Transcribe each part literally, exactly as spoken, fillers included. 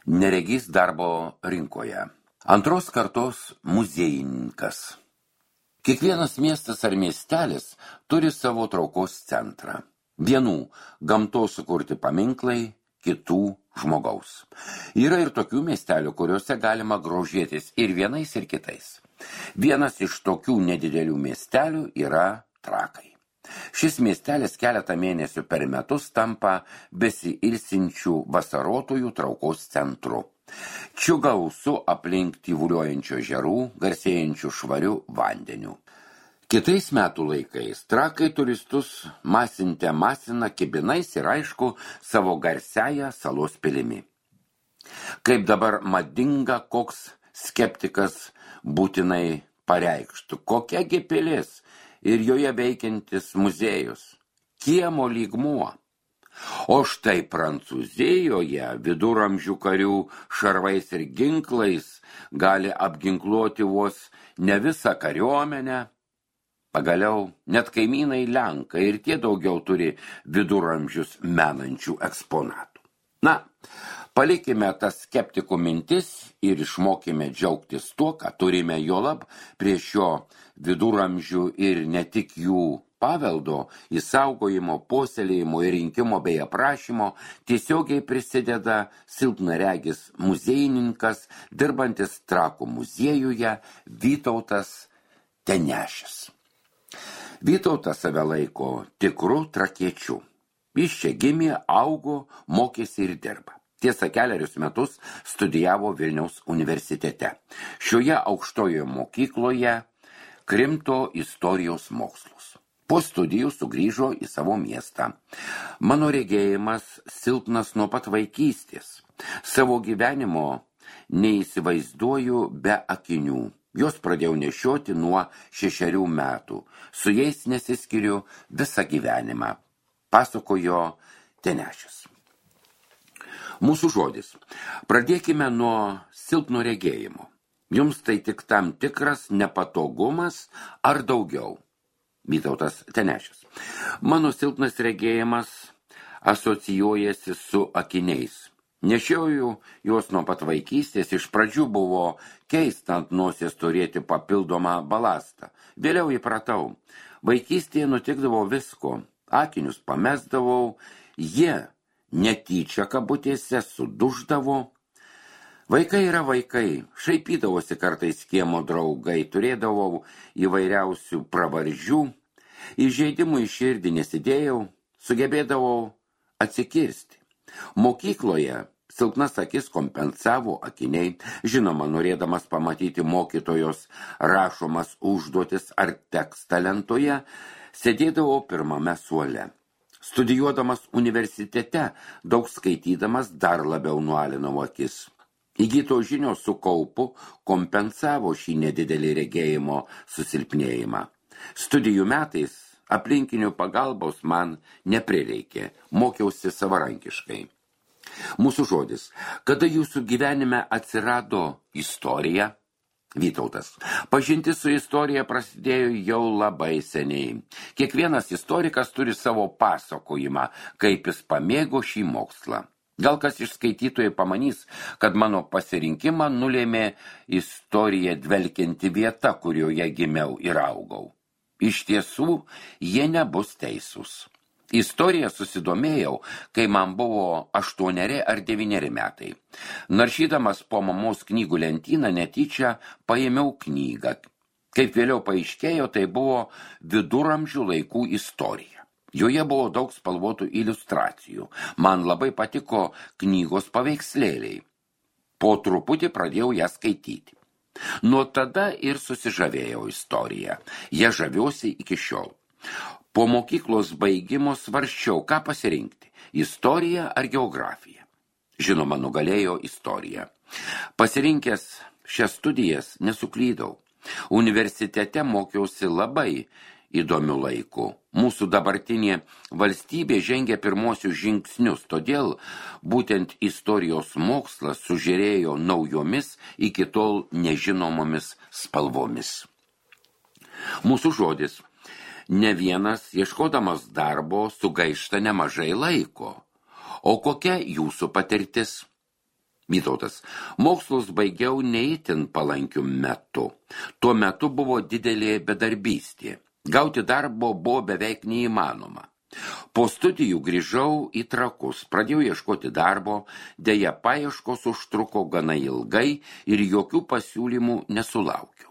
Neregys darbo rinkoje. Antros kartos muziejininkas. Kiekvienas miestas ar miestelis turi savo traukos centrą. Vienų gamtos sukurti paminklai, kitų žmogaus. Yra ir tokių miestelių, kuriuose galima grožėtis ir vienais, ir kitais. Vienas iš tokių nedidelių miestelių yra Trakai. Šis miestelis keletą mėnesių per metus tampa besiilsinčių vasarotojų traukos centru. Čia gausu aplink tyvuliuojančių ežerų, garsėjančių švarių vandenių. Kitais metų laikais Trakai turistus masinte masina kibinais ir aišku savo garsiąją salos pilimi. Kaip dabar madinga, koks skeptikas būtinai pareikštų, kokiagi pilis ir joje veikiantis muziejus, kiemo lygmuo. O štai Prancūzijoje viduramžių karių šarvais ir ginklais gali apginkluoti vos ne visą kariuomenę. Pagaliau net kaimynai Lenkai ir tie daugiau turi viduramžius menančių eksponatų. Na, palikime tas skeptikų mintis ir išmokime džiaugtis tuo, ką turime, juolab prie šio viduramžių ir ne tik jų paveldo, išsaugojimo, puoselėjimo ir rinkimo bei aprašymo tiesiogiai prisideda silpnaregis muziejininkas, dirbantis Trakų muziejuje Vytautas Tenešis. Vytautas save laiko tikru trakiečiu. Jis čia gimė, augo, mokėsi ir dirba. Tiesa, kelerius metus studijavo Vilniaus universitete. Šioje aukštojoje mokykloje krimto istorijos mokslus. Po studijų sugrįžo į savo miestą. Mano regėjimas silpnas nuo pat vaikystės. Savo gyvenimo neįsivaizduoju be akinių. Jos pradėjau nešioti nuo šešerių metų. Su jais nesiskiriu visą gyvenimą, pasakojo Tenešis. Mūsų žodis. Pradėkime nuo silpno regėjimo. Jums tai tik tam tikras nepatogumas ar daugiau? Vytautas Tenešis. Mano silpnas regėjimas asocijuojasi su akiniais. Nešiauju juos nuo pat vaikystės, iš pradžių buvo keista ant nosies turėti papildomą balastą. Vėliau įpratau. Vaikystėje nutikdavo visko. Akinius pamesdavau, jie netyčia kabutėse suduždavo. Vaikai yra vaikai, šaipydavosi kartais kiemo draugai, turėdavau įvairiausių pravardžių, įžeidimų į širdį nesidėjau, sugebėdavau atsikirsti. Mokykloje silpnas akis kompensavo akiniai, žinoma, norėdamas pamatyti mokytojos rašomas užduotis ar tekstą lentoje, sėdėdavau pirmame suole. Studijuodamas universitete, daug skaitydamas dar labiau nualinau akis. Įgytos žinios su kaupu kompensavo šį nedidelį regėjimo susilpnėjimą. Studijų metais aplinkinių pagalbos man neprireikė, mokiausi savarankiškai. Mūsų žodis. Kada jūsų gyvenime atsirado istorija? Vytautas. Pažintis su istorija prasidėjo jau labai seniai. Kiekvienas istorikas turi savo pasakojimą, kaip jis pamėgo šį mokslą. Gal kas iš skaitytojų pamanys, kad mano pasirinkimą nulėmė istorija dvelkianti vieta, kurioje gimiau ir augau. Iš tiesų, jie nebus teisūs. Istoriją susidomėjau, kai man buvo aštuoneri ar devyneri metai. Naršydamas po mamos knygų lentyną netyčia paėmiau knygą. Kaip vėliau paaiškėjo, tai buvo viduramžių laikų istorija. Joje buvo daug spalvotų iliustracijų. Man labai patiko knygos paveikslėliai. Po truputį pradėjau ją skaityti. Nuo tada ir susižavėjau istoriją. Ja žaviuosi iki šiol. Po mokyklos baigimo svarsčiau, ką pasirinkti – istoriją ar geografiją. Žinoma, nugalėjo istoriją. Pasirinkęs šias studijas nesuklydau. Universitete mokiausi labai įdomių laikų. Mūsų dabartinė valstybė žengia pirmosius žingsnius, todėl būtent istorijos mokslas sužėrėjo naujomis iki tol nežinomomis spalvomis. Mūsų žodis. Ne vienas, ieškodamas darbo, sugaišta nemažai laiko. O kokia jūsų patirtis? Vytautas. Mokslus baigiau neįtin palankiu metu. Tuo metu buvo didelė bedarbystė. Gauti darbo buvo beveik neįmanoma. Po studijų grįžau į Trakus, pradėjau ieškoti darbo, deja paieškos užtruko gana ilgai ir jokių pasiūlymų nesulaukiau.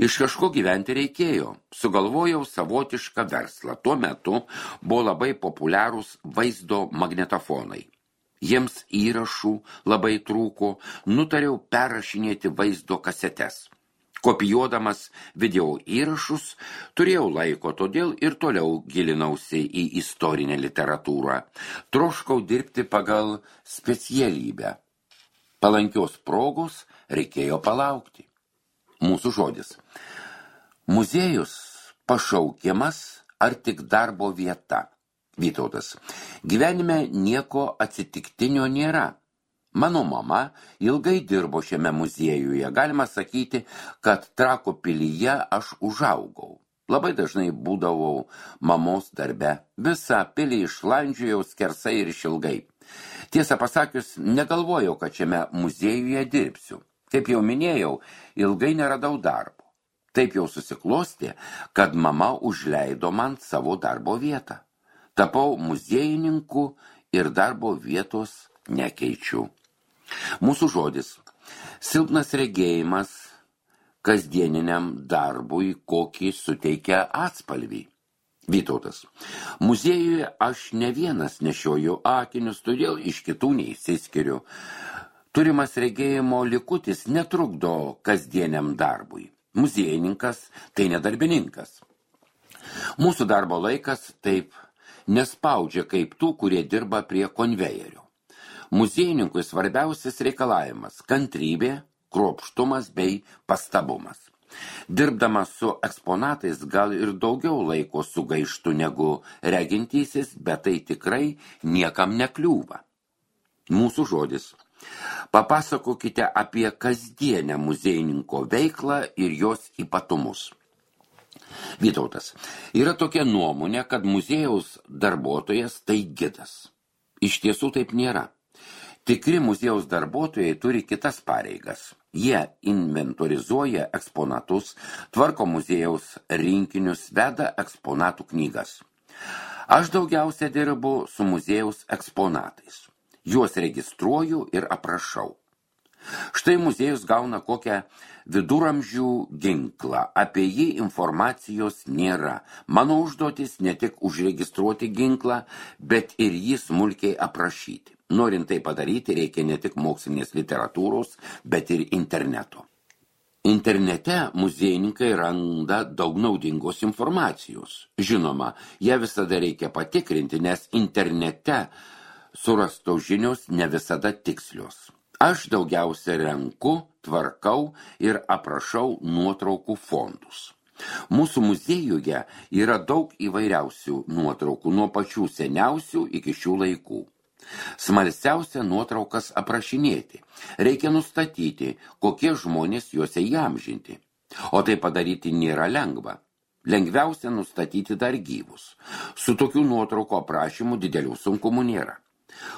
Iš kažko gyventi reikėjo, sugalvojau savotišką verslą. Tuo metu buvo labai populiarūs vaizdo magnetofonai. Jiems įrašų labai trūko, nutariau perrašinėti vaizdo kasetes. Kopijuodamas video įrašus, turėjau laiko, todėl ir toliau gilinausi į istorinę literatūrą. Troškau dirbti pagal specialybę. Palankios progos reikėjo palaukti. Mūsų žodis. Muziejus pašaukimas ar tik darbo vieta? Vytautas. Gyvenime nieko atsitiktinio nėra. Mano mama ilgai dirbo šiame muziejuje. Galima sakyti, kad Trakų pilyje aš užaugau. Labai dažnai būdavau mamos darbe. Visą pilį išlandžiojau skersai ir išilgai. Tiesą pasakius, negalvojau, kad šiame muziejuje dirbsiu. Kaip jau minėjau, ilgai neradau darbo. Taip jau susiklostė, kad mama užleido man savo darbo vietą. Tapau muziejininku ir darbo vietos nekeičiu. Mūsų žodis. Silpnas regėjimas kasdieniniam darbui kokį suteikia atspalvį. Vytautas. Muziejuje aš ne vienas nešioju akinius, todėl iš kitų neįsiskiriu. Turimas regėjimo likutis netrukdo kasdieniam darbui. Muziejininkas tai nedarbininkas. Mūsų darbo laikas taip nespaudžia kaip tų, kurie dirba prie konvejerio. Muziejininkui svarbiausias reikalavimas – kantrybė, kruopštumas bei pastabumas. Dirbdamas su eksponatais gal ir daugiau laiko sugaištų negu regintysis, bet tai tikrai niekam nekliūva. Mūsų žodis. Papasakokite apie kasdienę muziejininko veiklą ir jos ypatumus. Vytautas. Yra tokia nuomonė, kad muziejaus darbuotojas tai gidas. Iš tiesų taip nėra. Tikri muziejaus darbuotojai turi kitas pareigas. Jie inventorizuoja eksponatus, tvarko muziejaus rinkinius, veda eksponatų knygas. Aš daugiausia dirbu su muziejaus eksponatais. Juos registruoju ir aprašau. Štai muziejus gauna kokią viduramžių ginklą, apie jį informacijos nėra. Mano užduotis ne tik užregistruoti ginklą, bet ir jį smulkiai aprašyti. Norint tai padaryti, reikia ne tik mokslinės literatūros, bet ir interneto. Internete muziejininkai randa daug naudingos informacijos. Žinoma, ją visada reikia patikrinti, nes internete surastos žinios ne visada tikslios. Aš daugiausia renku, tvarkau ir aprašau nuotraukų fondus. Mūsų muziejuje yra daug įvairiausių nuotraukų, nuo pačių seniausių iki šių laikų. Smalsiausia nuotraukas aprašinėti. Reikia nustatyti, kokie žmonės juose įamžinti. O tai padaryti nėra lengva. Lengviausia nustatyti dar gyvus. Su tokių nuotraukų aprašymų didelių sunkumų nėra.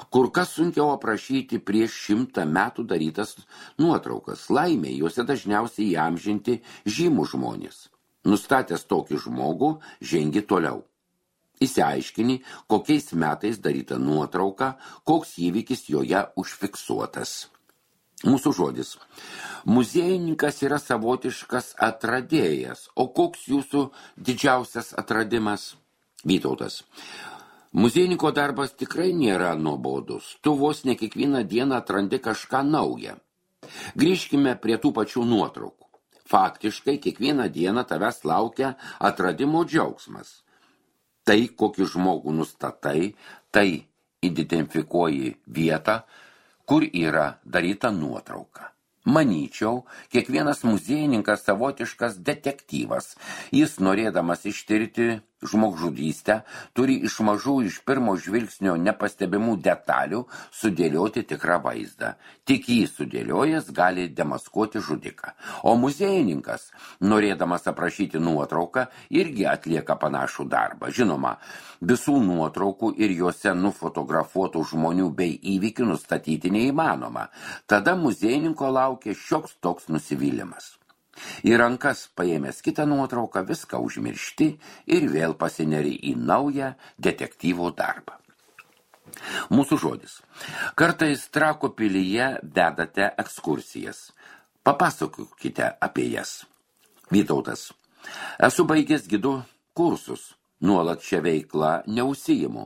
Kur kas sunkiau aprašyti prieš šimtą metų darytas nuotraukas. Laimė, juose dažniausiai įamžinti žymų žmonės. Nustatęs tokį žmogų, žengi toliau. Įsiaiškini, kokiais metais daryta nuotrauka, koks įvykis joje užfiksuotas. Mūsų žodis. Muziejininkas yra savotiškas atradėjas. O koks jūsų didžiausias atradimas? Vytautas. Muziejininko darbas tikrai nėra nuobodus. Tu vos ne kiekvieną dieną atrandi kažką naują. Grįžkime prie tų pačių nuotraukų. Faktiškai kiekvieną dieną tavęs laukia atradimo džiaugsmas. Tai, kokį žmogų nustatai, tai identifikuoji vietą, kur yra daryta nuotrauka. Manyčiau, kiekvienas muziejininkas savotiškas detektyvas. Jis, norėdamas ištirti žmogžudystę, turi iš mažų iš pirmo žvilgsnio nepastebimų detalių sudėlioti tikrą vaizdą. Tik jį sudėliojęs gali demaskuoti žudiką. O muziejininkas, norėdamas aprašyti nuotrauką, irgi atlieka panašų darbą. Žinoma, visų nuotraukų ir juose nufotografuotų žmonių bei įvykių nustatyti neįmanoma. Tada muziejininko laukia šioks toks nusivylimas. Į rankas paėmęs kitą nuotrauką viską užmiršti ir vėl pasineri į naują detektyvo darbą. Mūsų žodis. Kartais Trakų pilyje vedate ekskursijas. Papasakokite apie jas. Vytautas. Esu baigęs gidų kursus. Nuolat šią veiklą neužsiimu.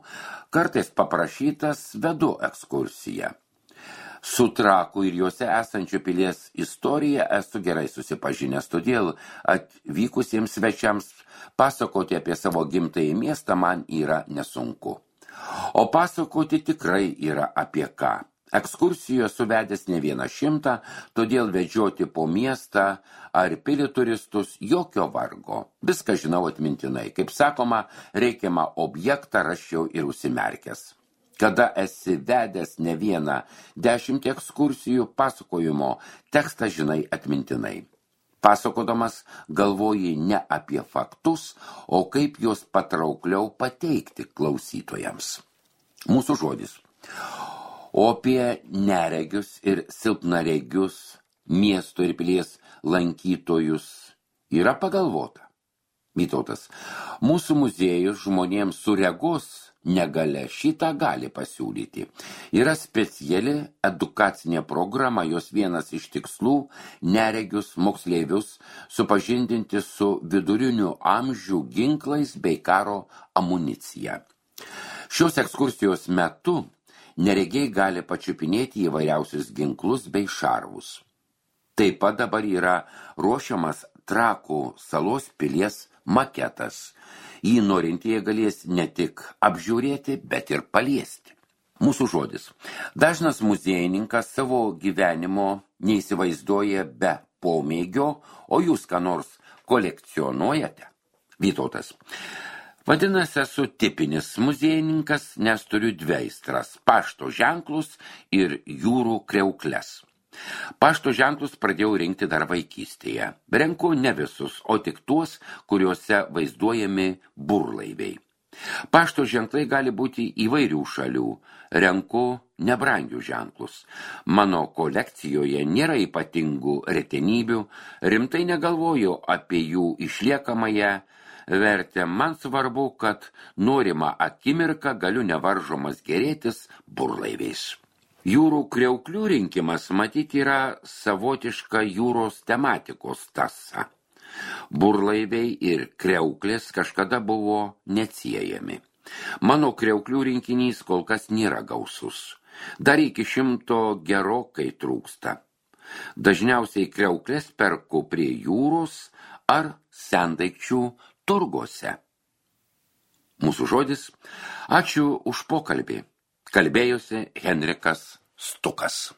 Kartais paprašytas vedu ekskursiją. Su Trakų ir juose esančio pilies istorija esu gerai susipažinęs, todėl atvykusiems svečiams pasakoti apie savo gimtąjį miestą man yra nesunku. O pasakoti tikrai yra apie ką. Ekskursijoje suvedęs ne vieną šimtą, todėl vedžioti po miestą ar pilį turistus jokio vargo. Viską žinau atmintinai. Kaip sakoma, reikiamą objektą raščiau ir užsimerkęs. Kada esi vedęs ne vieną dešimtį ekskursijų, pasakojimo tekstą žinai atmintinai. Pasakodamas galvoji ne apie faktus, o kaip juos patraukliau pateikti klausytojams. Mūsų žodis. O apie neregius ir silpnaregius miesto ir pilies lankytojus yra pagalvota. Vytautas. Mūsų muziejus žmonėms su regos negalia šitą gali pasiūlyti. Yra speciali edukacinė programa, jos vienas iš tikslų neregius moksleivius supažindinti su vidurinių amžių ginklais bei karo amunicija. Šios ekskursijos metu neregiai gali pačiupinėti įvairiausius ginklus bei šarvus. Taip pat dabar yra ruošiamas Trakų salos pilies maketas. Jį norintieji galės ne tik apžiūrėti, bet ir paliesti. Mūsų žodis. Dažnas muziejininkas savo gyvenimo neįsivaizduoja be pomėgio, o jūs ką nors kolekcionuojate? Vytautas. Vadinasi, esu tipinis muziejininkas, nes turiu dvi aistras – pašto ženklus ir jūrų kreukles. Pašto ženklus pradėjau rinkti dar vaikystėje. Renku ne visus, o tik tuos, kuriuose vaizduojami burlaiviai. Pašto ženklai gali būti įvairių šalių. Renku nebrangių ženklus. Mano kolekcijoje nėra ypatingų retenybių, rimtai negalvoju apie jų išliekamąją vertę. Man svarbu, kad norima akimirką galiu nevaržomas gėrėtis burlaiviais. Jūrų kreuklių rinkimas matyti yra savotiška jūros tematikos tąsa. Burlaiviai ir kreuklės kažkada buvo neatsiejami. Mano kreuklių rinkinys kol kas nėra gausus. Dar iki šimto gerokai trūksta. Dažniausiai kreuklės perku prie jūros ar sendaikčių turguose. Mūsų žodis. Ačiū už pokalbį. Kalbėjosi Henrikas Stukas.